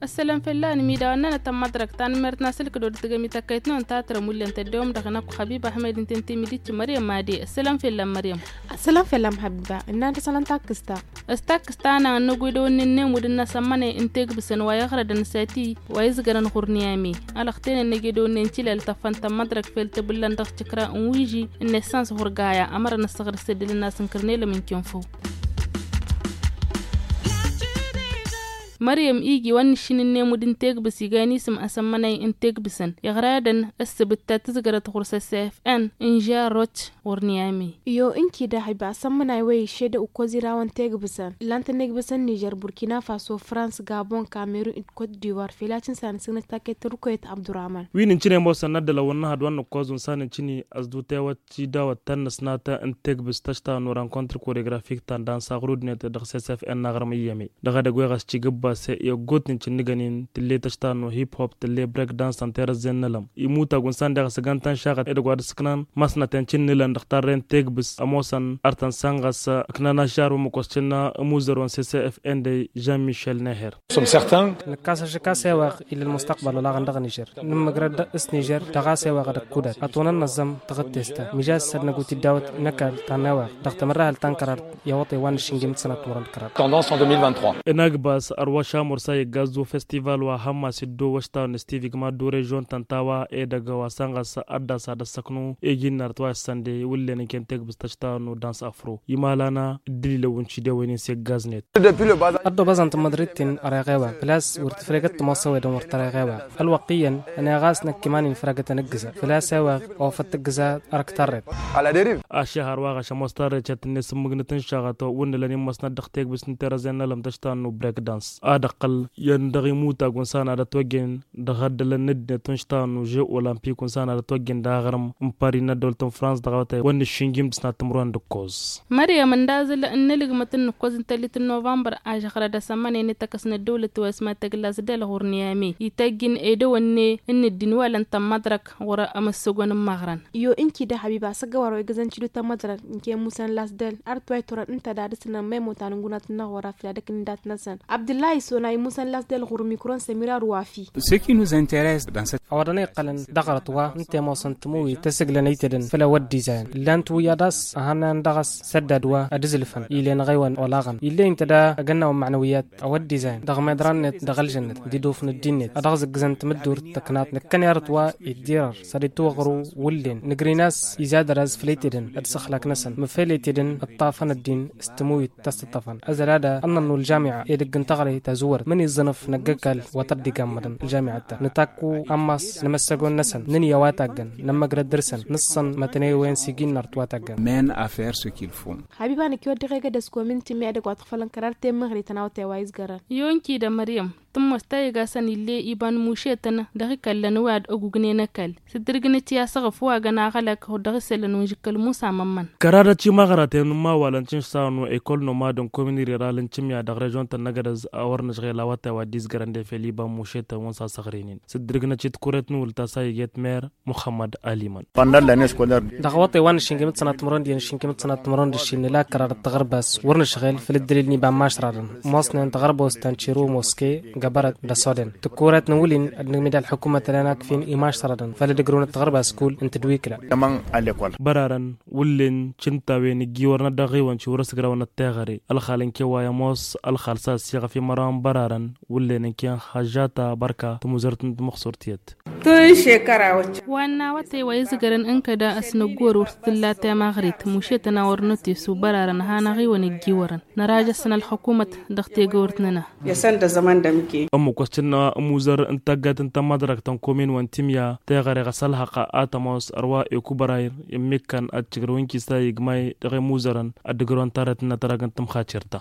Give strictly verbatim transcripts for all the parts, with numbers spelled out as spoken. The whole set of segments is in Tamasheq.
Ăssălăm fell-anăm idawăn-nănăt n-mădrăk tanmert n-asǝlkăd wăr dd-tǝgăm ităkkăyt-năwăn ta tărăm wǝllen tăddewăm dăɣ-năkk xabib ahmed ǝnta ǝnta imidit măryăm made. Ăssălăm fell-anăm măryăm. Ăssălăm fell-anăm xabib-a ǝnnan tăsălăn takkǝsta. S-takkǝsta a-năɣ ănnăgg wi dăɣ-wǝnnin n-emud n-asăn mănăy n-tegbǝsăn wa iɣrădăn s-ati wa izgărăn ɣur-niyami. Alăɣten ănnăgg wi dăɣ-wǝnnin n-tilal tăffăn tămmădrăk fel tǝbǝllan dăɣ-tikra n-wiži n-essans ɣur-gaya ămărăn ăssăɣrǝs ăddǝlăn n-asǝnkărnelăm n-kenfăw. Măryăm igi wa n-nǝššin n-emud n-tegbǝs iga inisǝm asămmănay n-tegbǝsăn iɣradăn ăssăbǝt ta tǝzgărăt ɣur-s s f n n-žarrot ɣur-niyami. Iyo ǝnki daɣ iba asămmănay wa išedăw ǝkkoẓ irawăn tegbǝsăn ǝllan-tăn egbǝsăn nižer burkina faso frans gabon kamerun d-kot diwar fila cǝnsa n-asǝgnăt taket tărukăyăt abdurahman. Wi n-ǝncǝne ămoosăn n-ad-dălăwăn n-ehăd wa n-nǝkkoẓ unsan ǝncǝni ăsdutewăt tidawăt ta n-năsnatăn n-tegbǝs tăštanu rankontr koregrafik ta n-dansa ɣur-udnet dăɣ-s s f n n-aɣrǝm iyyăme. Dăɣ-edăgg wa ɣas cigǝbbase i-ăggootnen cǝnnǝgăn-in tǝlle tăštanu hip-hop tǝlle brek dans ănterăzzen n-elăm imutag unsan deɣ s-ăgg-antăn šaɣăt edăgg wa d-ǝssǝknan masnăten cǝnnǝlăn dăɣ-tarre n-tegbǝs ămoosăn ar tăn-san ɣas ǝknan ašar wa măkoscǝnna ămuzăr wa n-s s f n d-žan mišel neher. Nǝkkas ašăk a-s eweɣ ila ălmustăqbal olaɣăn dăɣ-nižer nǝmmăgrăd s-nižer dăɣ-a-s eweɣ ad-ăkkudat ătonăn năẓẓăm tăɣǝttest ta mija s-ad-năggu tiddawăt n-ăkall ta n-eweɣ dăɣ-tamărrahălt ta n-kărar i-awăṭay wa n-ašǝnjim d-sănat timărăn d-kăraḍ. Tendance en deux mille vingt-trois. Ănagbas ărwa šamur s-a iggaẓ d-ufestival wa hămmas dd-owăš tawăn s-tivi gma d-urežon ta n-tawa edăgg wa săn ɣas ad-dd-asad ăssăknu iji n-arăt wa issăn de wǝllen ǝnken tegbǝst tăštawăn n-udans afro imalana dd-ǝlilăwwǝn cidewăn-in s-iggaẓnet. Ăddoobăẓăn tǝmmăḍrit-in ăreɣ eweɣ făl-a-s wăr tǝfregăt tămoosăwedăn wăr tăreɣ eweɣ ălwăqq iyyăn ăneɣ a-s năkk iman-in fărăgătăn ǝggǝza făl-a-s eweɣ ofăt tǝggǝza. Ărk tarret. Ašăhăr wa ɣaš ămoos tarret šăt-net s-ǝmmǝgnǝt n-šaɣăt wǝnnǝlăn immăsnăt dăɣ-tegbǝst n-terăzen n-ălăm tăštawăn n-ubrekdans ad-ăqqăl iyyăn dăɣ-imutag unsan ad-ătwăjjen dăɣ-addălăn n-ăddinăt n-ištawăn n-užeu olimpic unsan ad-ătwăjjen dăɣ-aɣrǝm n-pari n-ăddăwlăt n-frans dăɣ-awătay wa n-nǝššǝnjim d-sănat timǝrwen d-ǝkkoẓ. Măryăm ǝnda a zǝl n-elǝgmăt n-nǝkkoẓ n-tăllit n-novămbăr ažăxrăd asămmănăy n-ităkkăs n-ăddăwlăt wa isma tăgg lasdel ɣur-niyami ităjjǝn edăwănne n-ǝddin wa lăn tămmăḍrăk ɣur-ămăssăgon n-imăɣrăn. Iyo ǝnki da habiba s-ăggăwar wa igǝzăn cidu tămmăḍrăk n-ke musăn lasdel arăt wa iturăn ǝnta da ad-ǝsnăn ma imotan n-gunat-năɣ wăr-afǝl ad-ăkk n-dat-năsăn abdǝllahi sona imusăn lasdel ɣur-mikron sămira ruwafi. Ce qui nous intéresse dans cette a-wa dăɣ-năy iqqălăn dăɣ-arăt wa ǝnta i-ămoosăn tămăwit tăsǝglăn ăytedăn făll-a-wa dd-izayăn ǝllan-t wi ad-as ăhănnan dăɣ-s săddad wa ad-ǝzǝlfăn ilen ɣeywăn olaɣăn ill'-e ǝnta da ăgg-ănnawăn mănăwiyat a-wa dd-izayăn dăɣ-meḍra-net dăɣ-ălžănnăt d-iduf n-ăddin-net a dăɣ-zǝggǝzăn tamǝddurt tăknaḍt năkkăne arăt wa iddir-ăr săr-itwăɣru wǝllen nǝgr'-in a-s izad ăraz făll-ăytedăn ad-săxlak-năsăn măfel ăytedăn ǝṭṭafăn ăddin s-tămăwit ta s-tǝṭṭăfăn ăzăl ad-ănnănnu ălžamiɛ edăgg n-taɣre tazǝwwărăt măniẓẓănăf năgg-ăkall wa tăr-dd-iga ămmăḍăn ălžamiɛ ta nǝtakku ammas n-emăssăgon-năsăn nǝnǝya wa taggăn nămmăgrăd dăr-săn nǝṣṣăn mătănewen s-iji n-arăt wa taggăn. Mena a faire ce qu'il faut. Habiba năkk i-wăr dăɣ-egăd ăskomin tǝmmi edăgg wa tăɣfălăn kărar temmăɣre tănawăt i-wa izgărăn. I-onkida măryăm tǝmmos ta igasăn ill'-e iba n-mušetăn dăɣ-ikăllăn wi ad-ăgugnen ăkall s-dd-ǝrgǝnăt i-asăɣǝf wa găn aɣălăk dăɣ-isălan wi n-žǝkkăl musa mămmăn. Kăradăt imăɣraten n-imawalăn tinšsawăn wa ekol nomad n-komin riral n-timya dăɣ-režon-tăn n-egădăz a wăr nǝžɣel awătay wa dd-izgărăn defel iba n-mušetăn wa n-sasăɣrinen s-dd-ǝrgǝnăt i-tikurret n-wǝl ta s-a iget mer muxămmăd aliman. Dăɣ-awătay wa n-ašǝnjǝm d-sănat timǝrwen d-iyyăn ašǝnjǝm d-sănat timǝrwen d-aššin nǝla kărar d-taɣărbas wăr nǝšɣel făll-ǝddǝlil n-iba n-imašraḍăn ămoosnen taɣărbawt ta n-tiro moske gabărăt d-ăsoden tǝkkuret n-wǝlin ad-nǝgmǝd ălḥukumăt ălan akfin imašraḍăn făll-ad-ǝgrǝwăn d-taɣărbas kull n-tǝdwikla. Bărarăn wǝllen cǝntawen ǝjjiwărăn ad-dăɣ-iwăn ciwrăs ǝgrawăn ătteɣăre ălxal n-kewway ămoos ălxal s-a-s iɣăf i-măraw n-bărarăn wǝllen n-ken hăžžata bărka tămuzărt n-timăxsurt i-ădd. Tun šekăra wăcce. Wa n-awătay wa izgărăn n-kăda ăsnăggor wăr t-tǝlla temăɣrit mušetăn a wăr nătesu bărarăn a hanăɣ-iwăn ǝjjiwărăn nărajăsăn ălxukumăt dăɣ-tegăwărt-nănăɣ. Yăsăn d-azăman d-ămke. Ămmuk wa s-tǝnna ămuzăr n-taggat n-tamăḍrakt n-komin wa n-timya teɣăre ɣas ălhăqq a tămoos ărwa ekubărayr immǝkkăn ad-tǝjrăw n-kisa igmay dăɣ-imuzărăn ad-dd-ǝgrăwăn tarret n-atărag n-tǝmxacer ta.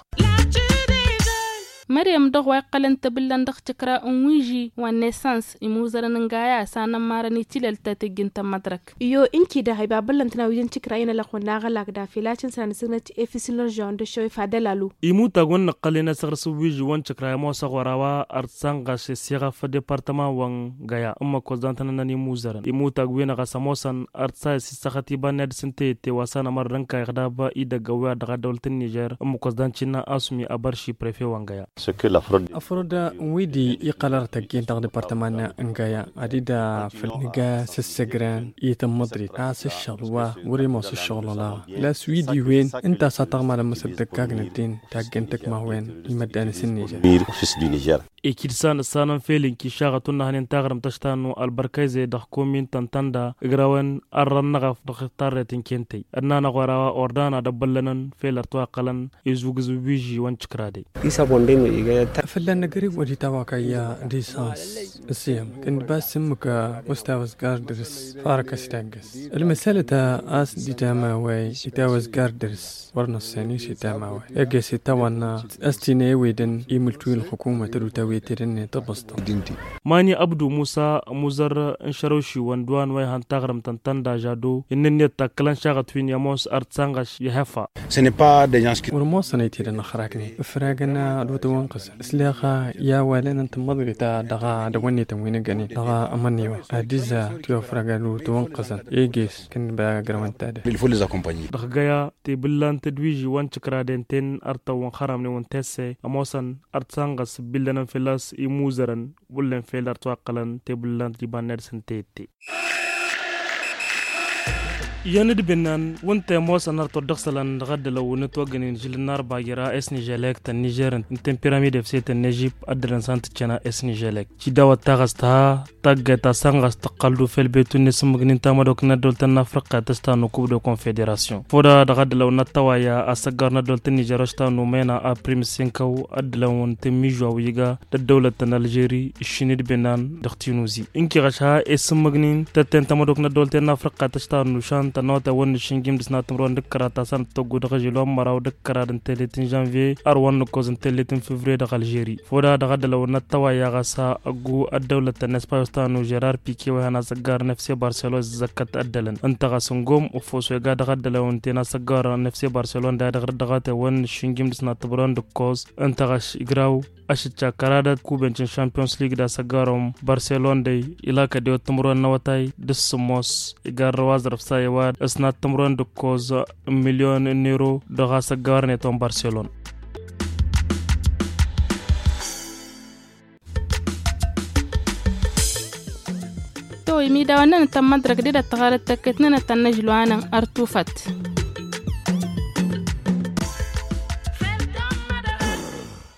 Măryăm dăɣ-wa iqqălăn tebǝllăn dăɣ-tikra n-wiži wa n-esans imuzărăn n-gaya s-anămmarăn itilăl ta teggint n-mădrăk. Iyo ǝnki-dăɣ ibabăllăn tănawidăn tikra inălăxwăn n-aɣălak dafilacăn s-anăsǝgnăt efisǝlăn žăwăn d-ašăw ifadălalu. Imutag wăn nǝqqălăn asăɣrǝs n-wiži wăn tikra imoosăɣ wăr-a-wa ărtsanɣas s-iɣăf departăman wăn gaya ǝmmǝk wăzdan tănănnăn imuzărăn imutag-wi-năɣ a-s ămoosăn ărtsa s-issăxăt iba n-ad-sǝntăyătte wa s-anămăr d-ǝnkayăɣ dab idăgg awǝy-a dăɣ-ad-dăwlăt n-nižer ǝmmǝk wăzdan cinna asumi abărši prefe wăn gaya. Ăfrăd n-wi-di iqqăl arăt ăgg-in dăɣ-departăman n-gaya ad-dd-afǝl nǝga s-ǝssăgrăn i-tămmăḍrit a-s ǝššăɣǝl wa wăr-imoos ǝššăɣǝl olaɣ. Las wi-di wen ǝnta a-s ad-tăɣmalăn măsăl tăkkagnăt-in taggăn tăkmawen i-măddanăs n-nižer. Ekid san ǝssanăn fel inki šaɣăt wăr nǝhănen taɣrǝmt ăštanu albărkăyze dăɣ-komin tăn-tănda ǝgrawen ărrăn n-aɣăf dăɣ-tarret n-kentăy ănnanăɣ wăr-a-wa ordana d-ăbbăllănăn fel ărtwaqqălăn izugǝz n-wiži wăn tikrade. Fălla-năgg ăriwăd itawakăyya d-isans ǝssiyăm kăndba s-ǝmmǝk wăstawăzgar dăr-s farăk ăsidagg ălmăsalăt a-s d-itamawăy itawăzgar dăr-s wăr năṣṣen i-s itamawăy. Eges itawănna a-s tinăyăwedăn imǝltu i-ălxukumăt d-utawăy tedănne tăbăstă. Mani abdu musa muzăr n-šărăwšiwăn d-wa n-wa ihăn taɣrǝmt ăntănda žado inn'-net takkălăn šaɣăt wi n-ămoos ărtsanɣăš i-hefa. Wăr ămoosăn i-tedăn ăxraknen ǝfragăn ad-wătăwănqǝzăn ǝsleɣ i-awalăn n-tămmăḍrit ta dăɣ-dăwănnetăn wi n-ăggănen dăɣ-amănniwa ad-dd-iza tiwăfrag ad-wătăwănqǝzăn eges kănnăba grăwăn-tadăt. Dăɣ-găya tebǝllant d-wiži wa n-tikradenten ărtăwăn xăramnen wa n-tesse ămoosăn ărtsanɣăs ǝbbillănăn fălla-s imuzărăn wăllen fel ărtwaqqălăn tebǝllant d-ibanna d-sǝntăyătte. Iyyăn d-bǝnnan wǝnta i-ămoosăn ărtăwăt dăɣ-isălan dăɣ-ăddălăw n-ătwăggănen žil n-arba jăr a s-niželek ta n-nižer ǝnta n-piramid efse ta n-ežip ăddălăn san tǝccen a s-niželek cidawăt taɣăst ha taggayt ta sănɣăs tăqqăl d-ufel betu n-isǝmmǝgnin tamădok n-ăddăwlăt n-afriqqa tăsta n-ukub d-confederasyon foda dăɣ-ăddălăw n-ăttăwayya asăggar n-ăddăwlăt n-nižer ăštanu mena aprim s-inkăw ăddălăwăn tǝmmižwa wi iga d-ăddăwlăt ta n-alžeri ǝššin d-bǝnnan dăɣ-tinuzi ǝnki ɣăš ha isǝmmǝgnin tătten tamădok n-ăddăwlăt n-afriqqa tăšta n-ušan tănnote wăn n-išǝnjim dăɣ-s n-ad-tǝmrăwăn d-ǝkkăra ta s-anăt-tăggu dăɣ-ažil wa n-măraw d-ǝkkăra d-ǝntellet n-žănvye ărwăn nǝkkoẓ ǝntellet n-fevriye dăɣ-alžeri foda dăɣ-ăddălăw n-ăttăwayya ɣas a ăggu ăddăwlăt ta n-espayos ta n-užerar pike wa ihăn asăggar n-efse barselon s-zăkkăt ăddălăn ǝnta ɣas n-gom ufos wa iga dăɣ-ăddălăw ǝnta i-inasăggar n-efse barselon dayăt ɣăr-dd dăɣ-a tewăn n-išǝnjim dăɣ-s n-ad-tǝmrăwăn d-ǝkkoẓ ǝnta ɣas igraw ašǝcca kăradăt kubent n-šampiyons lig d-asăggarom barselon dăy ilakăd i-wăt timǝrwen n-awătay d-ǝssǝmmos igarrăw aẓrǝf sa i-wa s-nad timǝrwen d-ǝkkoẓ n-milyon n-ero dăɣ-asăggarnet wa n-barselon. To imidawăn-nănăt ta n-mădrăk d-dd-ăttăɣarăt tăkket-nănăt ta n-inǝžlu anăn ărtufăt.